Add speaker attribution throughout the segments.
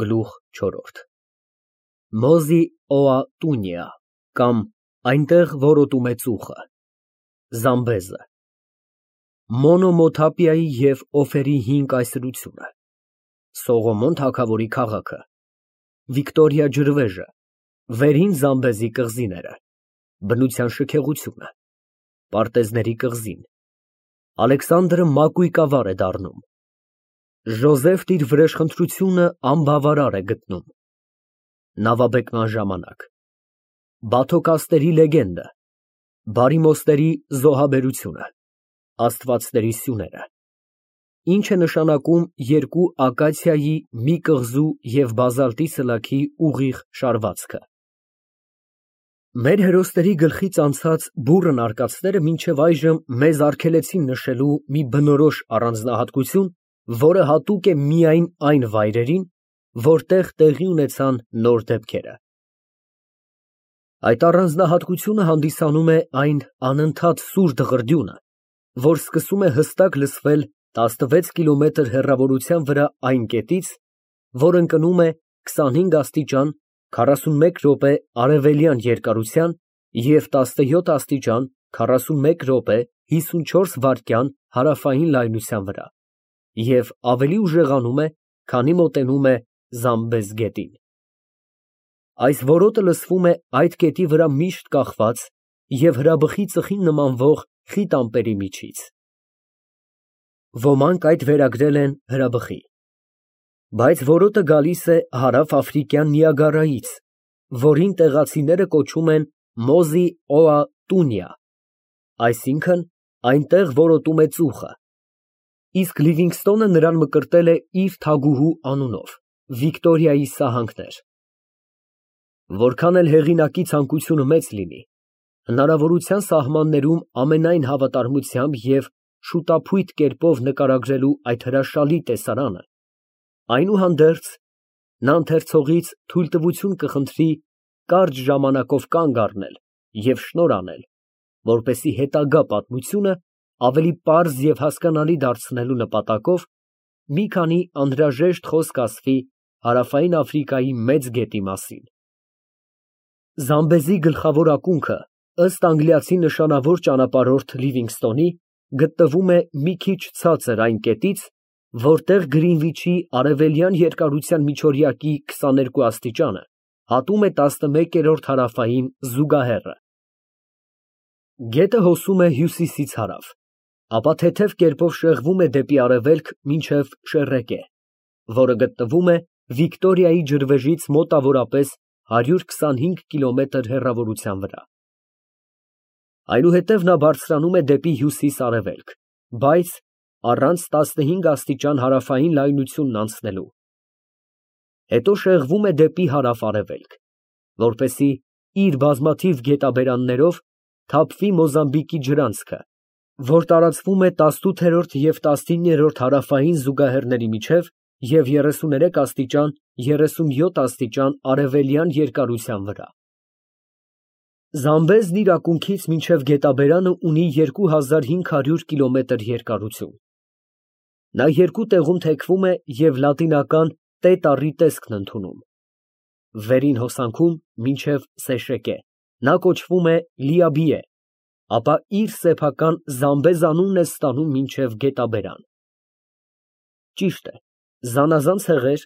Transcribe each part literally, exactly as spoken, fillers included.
Speaker 1: Գլուխ չորրորդ Մոզի օա տունյա կամ այնտեղ որոտում է ծուխը Զամբեզը Մոնոմոթապիայի և օֆերի հին կայսրությունը Սողոմոն թագավորի քաղաքը Վիկտորիա ջրվեժը Վերին Զամբեզի կղզիները Բնության շքեղությունը Պարտեզների կղզին Ալեքսանդրը մակույկավար է դառնում Ժոզեֆն իր վրեժխնդրությունը անբավարար է գտնում Նավաբեկման ժամանակ Բաթոկասների լեգենդը Բարիմոստերի զոհաբերությունը Աստվածների սյուները Ինչ է նշանակում երկու ակացիայի մի կղզու և բազալտի սլաքի ուղիղ շարվածքը Մեր հերոսների գլխից անցած բուռն արկածները մինչև այժմ մեզ արգելեցին նշելու մի բնորոշ առանձնահատկություն, որը հատուկ է միայն այն վայրերին, որտեղ տեղի ունեցան նոր դեպքերը։ Այդ առանձնահատկությունը հանդիսանում է այն անընդհատ սուր դղրդյունը, որ սկսում է հստակ լսվել տասնվեց կիլոմետր հեռավորության վրա այն կետից, որ ընկնում է քսանհինգ աստիճան քառասունմեկ րոպե արևելյան երկարության և տասնյոթ աստիճան քառասունմեկ րոպե հիսունչորս վայրկյան հարավային լայնության վրա և ավելի ուժեղանում է, քանի մոտենում է Զամբեզ գետին։ Այս որոտը լսվում է այդ կետի վրա միշտ կախված և հրաբխի ծխին նմանվող խիտ ամպերի միջից։ Ոմանք այդ վերագրել են հրաբխի։ Բայց որոտը գալիս է հարավ֊աֆրիկյան Նիագարայից, որին տեղացիները կոչում են Մոզի օա տունյա, այսինքն այնտեղ որոտում է ծուխը, իսկ Լիվինգստոնը նրան մկրտել է իր թագուհու անունով՝ Վիկտորիայի սահանքներ։ Որքան էլ հեղինակի ցանկությունը մեծ լինի, հնարավորության սահմաններում ամենայն հավատարմությամբ և շուտափույթ կերպով նկարագրելու այդ հրաշալի տեսարանը, այնուհանդերձ, նա ընթերցողից թույլտվություն կխնդրի կարճ ժամանակով կանգ առնել և շնորհ անել, որպեսզի հետագա պատմությունը ավելի պարզ և հասկանալի դարձնելու նպատակով մի քանի անհրաժեշտ խոսք ասվի հարավային Աֆրիկայի մեծ գետի մասին։ Զամբեզի գլխավոր ակունքը, ըստ անգլիացի նշանավոր ճանապարհորդ Լիվինգստոնի, գտնվում է մի քիչ ցածր այն կետից, որտեղ Գրինվիչի արևելյան երկարության միջօրյակի քսաներկու աստիճանը հատում է տասնմեկերորդ հարավային զուգահեռը։ Գետը հոսում է հյուսիսից հարավ, ապա թեթև կերպով շեղվում է դեպի արևելք մինչև Շեռեկե, որը գտնվում է Վիկտորիայի ջրվեժից մոտավորապես հարյուր քսանհինգ կիլոմետր հեռավորության վրա։ Այնուհետև նա բարձրանում է դեպի հյուսիս֊արևելք, բայց առանց տասնհինգ աստիճան հարավային լայնությունն անցնելու։ Հետո շեղվում է դեպի հարավ֊արևելք, որպեսզի իր բազմաթիվ գետաբերաններով թափվի Մոզամբիկի ջրանցքը, որ տարածվում է տասնութերորդ և տասնիններորդ հարավային զուգահեռների միջև և երեսուներեք աստիճան երեսունյոթ աստիճան արևելյան երկարության վրա։ Զամբեզն իր ակունքից մինչև գետաբերանը ունի երկու հազար հինգ հարյուր կիլոմետր երկարություն։ Նա երկու տեղում թեքվում է և լատինական Տ տառի տեսքն ընդունում։ Վերին հոսանքում մինչև Սեշեկե նա կոչվում է Լիաբիե, ապա իր սեփական Զամբեզ անունն է ստանում մինչև գետաբերան։ Ճիշտ է, զանազան ցեղեր,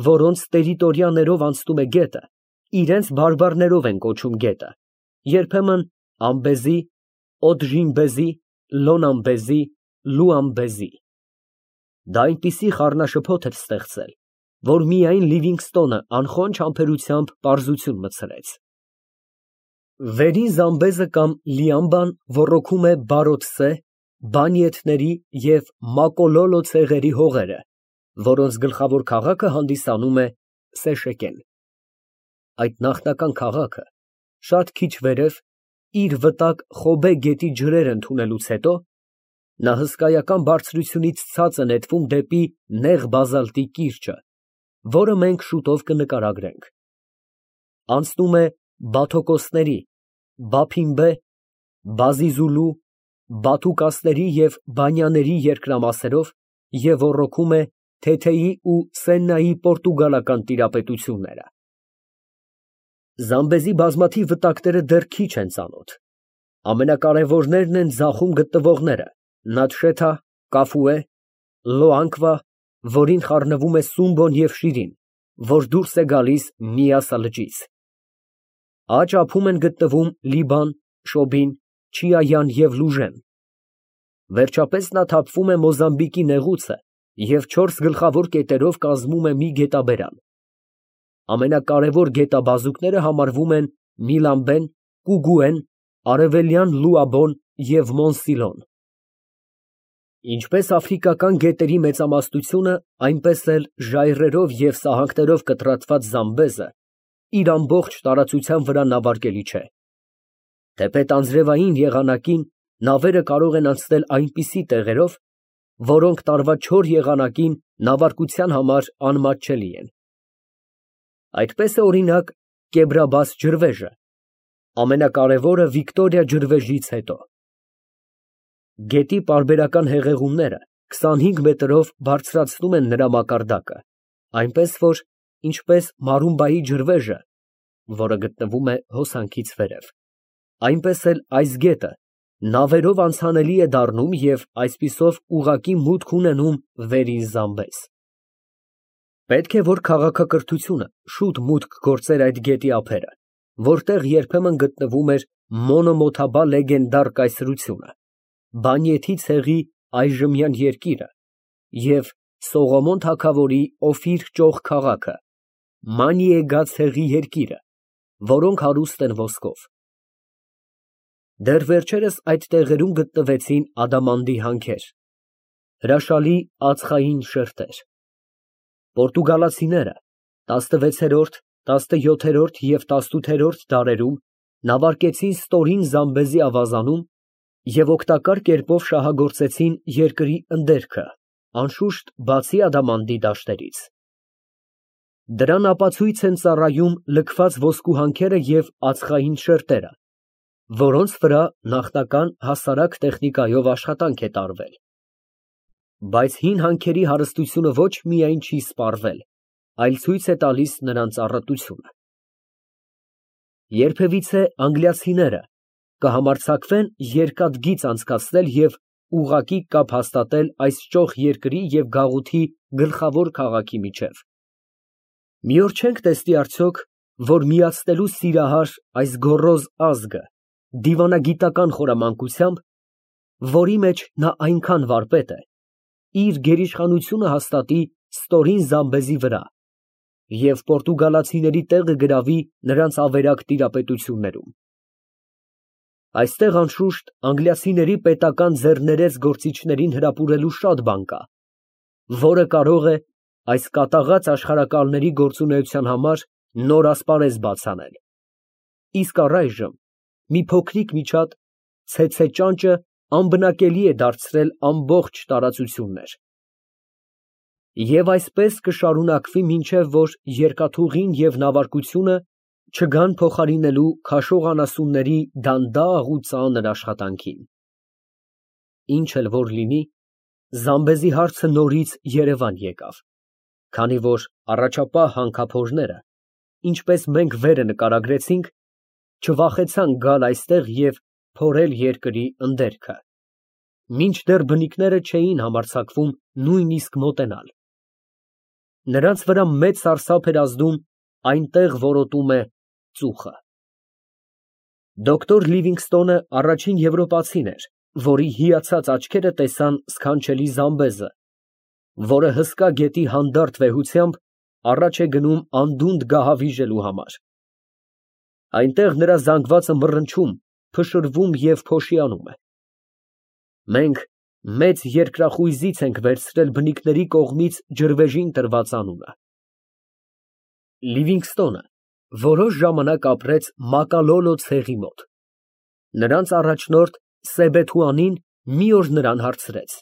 Speaker 1: որոնց տերիտորիաներով անցնում է գետը, իրենց բարբառներով են կոչում գետը, երբեմն Ամբեզի, Օդժինբեզի, Լոնամբեզի, Լուամբեզի։ Դա այնպիսի խառնաշփոթ էր ստեղծել, որ միայն Լիվինգստոնը անխոնջ համբերությամբ պարզություն մտցրեց։ Վերին Զամբեզը կամ Լիամբան ոռոգում է Բարոտսե, Բանիեթների և Մակոլոլո ցեղերի հողերը, որոնց գլխավոր քաղաքը հանդիսանում է Սեշեկեն։ Այդ նախնական քաղաքը շատ քիչ վերև, իր վտակ Խոբե գետի ջրերը ընդունելուց հետո, նա հսկայական բարձրությունից ցած է նետվում դեպի նեղ բազալտի կիրճը, որը մենք շուտով կնկարագրենք։ Անցնում է Բաթոկոսների, Բափիմբե, Բազիզուլու, Բաթուկասների և Բանյաների երկրամասերով և ոռոգում է Թեթեի ու Սեննայի պորտուգալական տիրապետությունները։ Զամբեզի բազմաթիվ վտակները դեռ քիչ են ծանոթ։ Ամենակարևորներն են ձախում գտնվողները՝ Նատշեթա, Կաֆուե, Լոանկվա, որին խառնվում է Սումբոն և Շիրին, որ դուրս է գալիս Միասա լճից։ Աջ ափում են գտնվում Լիբան, Շոբին, Չիայան և Լուժեն։ Վերջապես նա թափվում է Մոզամբիկի նեղուցը և չորս գլխավոր կետերով կազմում է մի գետաբերան։ Ամենակարևոր գետաբազուկները համարվում են Միլամբեն, Կուգուեն, Արևելյան Լուաբոն և Մոնսիլոն։ Ինչպես աֆրիկական գետերի մեծամասնությունը, այնպես էլ ժայռերով և սահանքներով կտրատված Զամբեզը իր ամբողջ տարածության վրա նավարկելի չէ։ Թեպետ անձրևային եղանակին նավերը կարող են անցնել այնպիսի տեղերով, որոնք տարվա չոր եղանակին նավարկության համար անմատչելի են։ Այդպես է օրինակ Կեբրաբաս ջրվեժը, ամենակարևորը Վիկտորիա ջրվեժից հետո։ Գետի պարբերական հեղեղումները քսանհինգ մետրով բարձրացնում են նրա մակարդակը, այնպես որ, ինչպես Մարումբայի ջրվեժը, որը գտնվում է հոսանքից վերև, այնպես էլ այս գետը նավերով անցանելի է դառնում և այսպիսով ուղղակի մուտք ունենում Վերին Զամբեզ։ Պետք է, որ քաղաքակրթությունը շուտ մուտք գործեր այդ գետի ափերը, որտեղ երբեմն գտնվում էր Մոնոմոթաբա լեգենդար կայսրությունը, Բանիեթի ցեղի այժմյան երկիրը և Սողոմոն թագավորի Օֆիր ճոխ քաղաքը, Մանիեգա ցեղի երկիրը, որոնք հարուստ են ոսկով։ Դեռ վերջերս այդ տեղերում գտնվեցին ադամանդի հանքեր, հրաշալի ածխային շերտեր։ Պորտուգալացիները տասնվեցերորդ, տասնյոթերորդ և տասնութերորդ դարերում նավարկեցին ստորին Զամբեզի ավազանում և օգտակար կերպով շահագործեցին երկրի ընդերքը, անշուշտ, բացի ադամանդի դաշտերից։ Դրան ապացույց են ծառայում լքված ոսկու հանքերը և ածխային շերտերը, որոնց վրա նախնական հասարակ տեխնիկայով աշխատանք է տարվել։ Բայց հին հանքերի հարստությունը ոչ միայն չի սպառվել, այլ ցույց է տալիս նրանց առատությունը։ Երբևիցե անգլիացիները կհամարձակվեն երկաթգիծ անցկացնել և ուղղակի կապ հաստատել այս ճոխ երկրի և գաղութի գլխավոր քաղաքի միջև։ Մի օր չենք տեսնի արդյոք, որ միացնելու սիրահար այս գոռոզ ազգը դիվանագիտական խորամանկությամբ, որի մեջ նա այնքան վարպետ է, իր գերիշխանությունը հաստատի ստորին Զամբեզի վրա և պորտուգալացիների տեղը գրավի նրանց ավերակ տիրապետություններում։ Այստեղ, անշուշտ, անգլիացիների պետական ձեռներեց գործիչներին հրապուրելու շատ բան կա, որը կարող է այս կատաղած աշխարհակալների գործունեության համար նոր ասպարեզ բաց անել, իսկ առայժմ մի փոքրիկ միջատ ցեցե ճանճը անբնակելի է դարձրել ամբողջ տարածություններ։ Եվ այսպես կշարունակվի մինչև որ երկաթուղին և նավարկությունը չգան փոխարինելու քաշող անասունների դանդաղ ու ծանր աշխատանքին։ Ինչ էլ որ լինի, Զամբեզի հարցը նորից երևան եկավ, քանի որ առաջապահ հանքափորները, ինչպես մենք վերը նկարագրեցինք, չվախեցան գալ այստեղ և փորել երկրի ընդերքը, մինչդեռ բնիկները չէին համարձակվում նույնիսկ մոտենալ։ Նրանց վրա մեծ սարսափ էր ազդում այնտեղ որոտում է ծուխը։ Դոկտոր Լիվինգստոնը առաջին եվրոպացին էր, որի հիացած աչքերը տեսան սքանչելի Զամբեզը, որը հսկա գետի հանդարտ վեհությամբ առաջ է գնում անդունդը գահավիժելու համար։ Այնտեղ նրա զանգվածը մռնչում, փշրվում և փոշիանում է։ Մենք մեծ երկրախույզից ենք վերցրել բնիկների կողմից ջրվեժին տրված անունը։ Լիվինգստոնը որոշ ժամանակ ապրեց Մակալոլո ցեղի մոտ։ Նրանց առաջնորդ Սեբեթուանին մի օր նրան հարցրեց,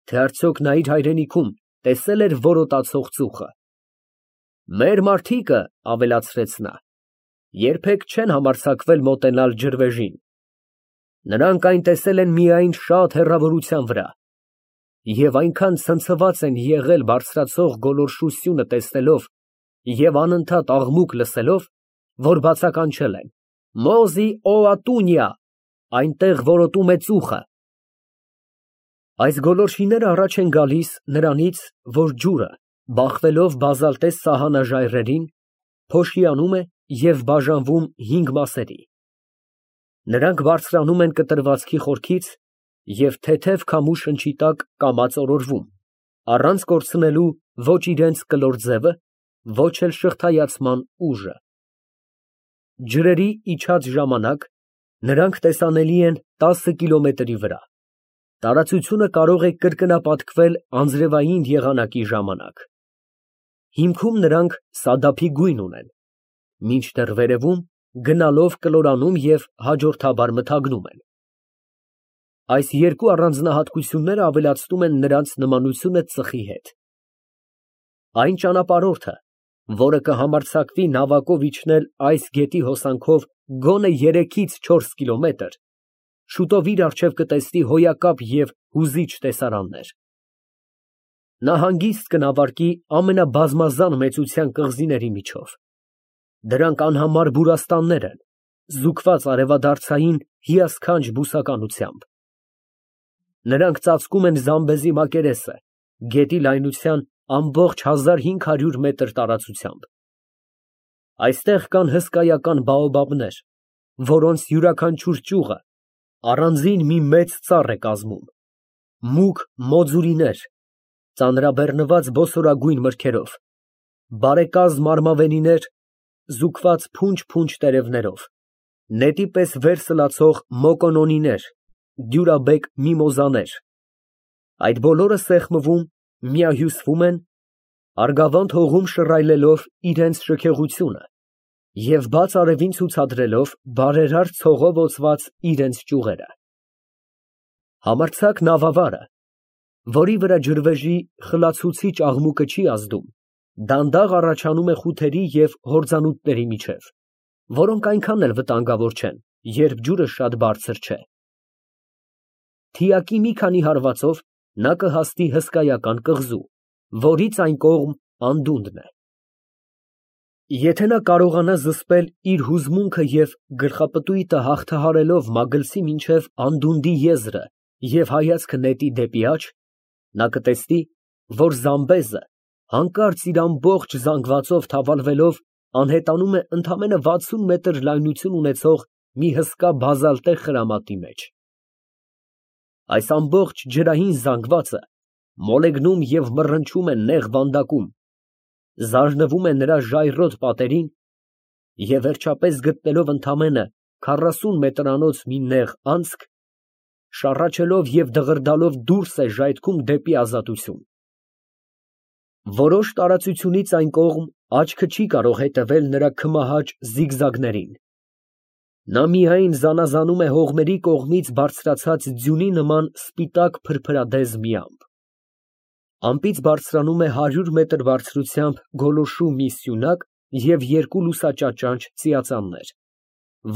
Speaker 1: թե արդյոք նա իր հայրենիքում տեսել էր որոտացող ծուխը։ Մեր մարդիկը, ավելացրեց նա, երբեք չեն համարձակվել մոտենալ ջրվեժին։ Նրանք այն տեսել են միայն շատ հեռավորության վրա և այնքան ցնցված են եղել բարձրացող գոլորշությունը տեսնելով և անընդհատ աղմուկ լսելով, որ բացականչել են. «Մոզի օատունիա», այնտեղ որոտում է ծուխը։ Այս գոլորշիները առաջ են գալիս նրանից, որ ջուրը, բախվելով բազալտես սահանաժայռերին, փոշիանում է և բաժանվում հինգ մասերի։ Նրանք բարձրանում են կտրվածքի խորքից և թեթև քամու շնչի տակ կամաց օրորվում, առանց կորցնելու ոչ իրենց կլոր ձևը, ոչ էլ շղթայացման ուժը։ Ջրերի իջած ժամանակ նրանք տեսանելի են տասը կիլոմետրի վրա, տարածությունը կարող է կրկնապատկվել անձրևային եղանակի ժամանակ։ Հիմքում նրանք սադափի գույն ունեն, մինչդեռ վերևում գնալով կլորանում և հաջորդաբար մթագնում են։ Այս երկու առանձնահատկությունները ավելացնում են նրանց նմանությունը ծխի հետ։ Այն ճանապարհորդը, որը կհամարձակվի նավակով իջնել այս գետի հոսանքով գոնե երեքից չորս կիլոմետր, շուտով իր առջև կտեսնի հոյակապ և հուզիչ տեսարաններ։ Նա հանգիստ կնավարկի ամենաբազմազան մեծության կղզիների միջով։ Դրանք անհամար բուրաստաններ են, զուգված արևադարձային հիասքանչ բուսականությամբ։ Նրանք ծածկում են Զամբեզի մակերեսը, գետի լայնության ամբողջ հազար հինգ հարյուր մետր տարածությամբ։ Այստեղ կան հսկայական բաոբաբներ, որոնց յուրաքանչյուր ճյուղը առանձին մի մեծ ծառ է կազմում, մուգ մոձուրիներ, ծանրաբեռնված բոսորագույն մրգերով, բարեկազմ արմավենիներ, զուգված փունջ֊փունջ տերևներով, նետի պես վեր սլացող մոկոնոնիներ, դյուրաբեկ միմոզաներ, այդ բոլորը սեղմվում, միահյուսվում են, արգավանդ հողում շռայլելով իրենց շքեղությունը և բաց արևին ցուցադրելով բարերար ցողով օծված իրենց ճյուղերը։ Համարձակ նավավարը, որի վրա ջրվեժի խլացուցիչ աղմուկը չի ազդում, դանդաղ առաջանում է խութերի և հորձանուտների միջև, որոնք այնքան էլ վտանգավոր չեն, երբ ջուրը շատ բարձր չէ։ Թիակի մի քանի հարվածով նա կհասնի հսկայական կղզու, որից այն կողմ անդունդն է։ Եթե նա կարողանա զսպել իր հուզմունքը և գլխապտույտը հաղթահարելով մագլցի մինչև անդունդի եզրը և հայացքը նետի դեպի աջ, նա կտեսնի, որ Զամբեզը հանկարծ իր ամբողջ զանգվածով թավալվելով անհետանում է ընդամենը վաթսուն մետր լայնություն ունեցող մի հսկա բազալտե խրամատի մեջ։ Այս ամբողջ ջրային զանգվածը մոլեգնում և մռնչում է նեղ վանդակում, զարնվում է նրա ժայռոտ պատերին և վերջապես գտնելով ընդամենը քառասուն մետրանոց մի նեղ անցք, շառաչելով և դղրդալով դուրս է ժայթքում դեպի ազատություն։ Որոշ տարածությունից այն կողմ աչքը չի կարող հետևել նրա քմահաճ զիգզագներին։ Նա միայն զանազանում է հողմերի կողմից բարձրացած ձյունի նման սպիտակ փրփրադեզ մի ամպ։ Ամպից բարձրանում է հարյուր մետր բարձրությամբ գոլորշու մի սյունակ և երկու լուսաճաճանճ ծիածաններ,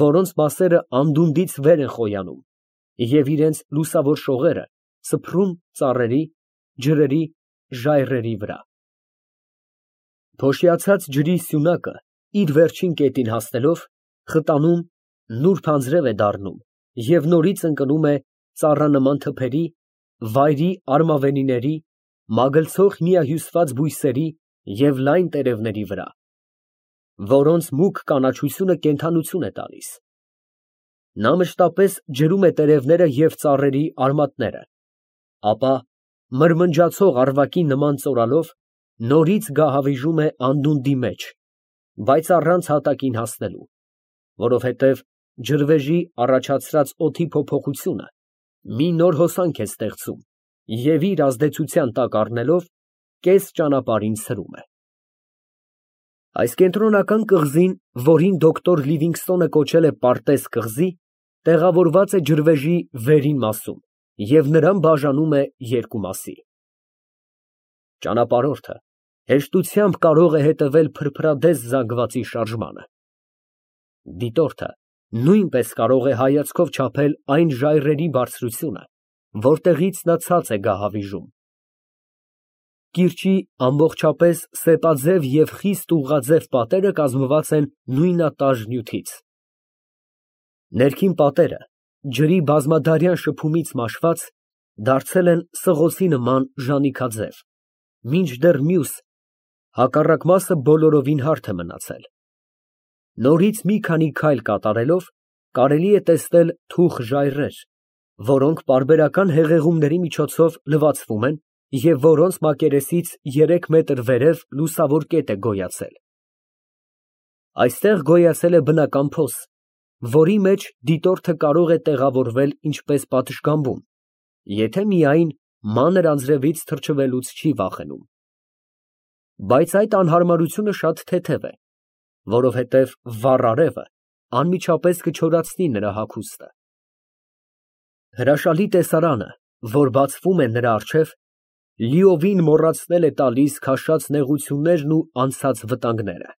Speaker 1: որոնց մասերը անդունդից վեր են խոյանում և իրենց լուսավոր շողերը սփռում ծառերի, ջրերի, ժայռերի վրա։ Փոշիացած ջրի սյունակը իր վերջին կետին հասնելով, խտանում, նուրբ անձրև է դառնում և նորից ընկնում է ծառանման թփերի, վայրի արմավենիների, մագլցող միահյուսված բույսերի և լայն տերևների վրա, որոնց մուգ կանաչությունը կենդանություն է տալիս։ Նա մշտապես ջրում է տերևները և ծառերի արմատները, ապա մրմնջացող առվակի նման ծորալով նորից գահավիժում է անդունդի մեջ, բայց առանց հատակին հասնելու, որովհետև ջրվեժի առաջացրած օդի փոփոխությունը մի նոր հոսանք է ստեղծում և իր ազդեցության տակ առնելով, կես ճանապարհին ցրում է։ Այս կենտրոնական կղզին, որին դոկտոր Լիվինգստոնը կոչել է պարտեզ կղզի, տեղավորված է ջրվեժի վերին մասում և նրան բաժանում է երկու մասի։ Ճանապարհորդը հեշտությամբ կարող է հետևել փրփրադեզ զանգվածի շարժմանը։ Դիտորդը նույնպես կարող է հայացքով չափել այն ժայռերի բարձրությունը, որտեղից նա ցած է գահավիժում։ Կիրճի ամբողջապես սեպաձև և խիստ ուղղաձև պատերը կազմված են նույնատար նյութից։ Ներքին պատերը, ջրի բազմադարյան շփումից մաշված, դարձել են սղոցի նման ժանիքաձև, մինչդեռ մյուս, հակառակ մասը բոլորովին հարթ է մնացել։ Նորից մի քանի քայլ կատարելով, կարելի է տեսնել թուխ ժայռեր, որոնք պարբերական հեղեղումների միջոցով լվացվում են և որոնց մակերեսից երեք մետր վերև լուսավոր կետ է գոյացել։ Այստեղ գոյացել է բնական փոս, որի մեջ դիտորդը կարող է տեղավորվել ինչպես պատշգամբում, եթե միայն մանր անձրևից թրջվելուց չի վախենում։ Բայց այդ անհարմարությունը շատ թեթև է, որովհետև վառ արևը անմիջապես կչորացնի նրա հագուստը։ Հրաշալի տեսարանը, որ բացվում է նրա առջև, լիովին մոռացնել է տալիս քաշած նեղություններն ու անցած վտանգները։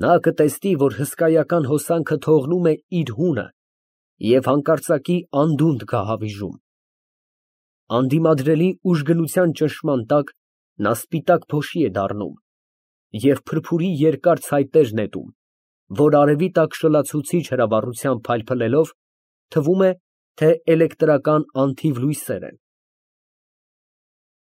Speaker 1: Նա կտեսնի, որ հսկայական հոսանքը թողնում է իր հունը և հանկարծակի անդունդը գահավիժում։ Անդիմադրելի ուժգնության ճնշման տակ նա սպիտակ փոշի է դառնում և փրփուրի երկար ցայտեր նետում, որ արևի տակ շլացուցիչ հրավառությամբ փայլփլելով, թվում է, թե էլեկտրական անթիվ լույսեր են։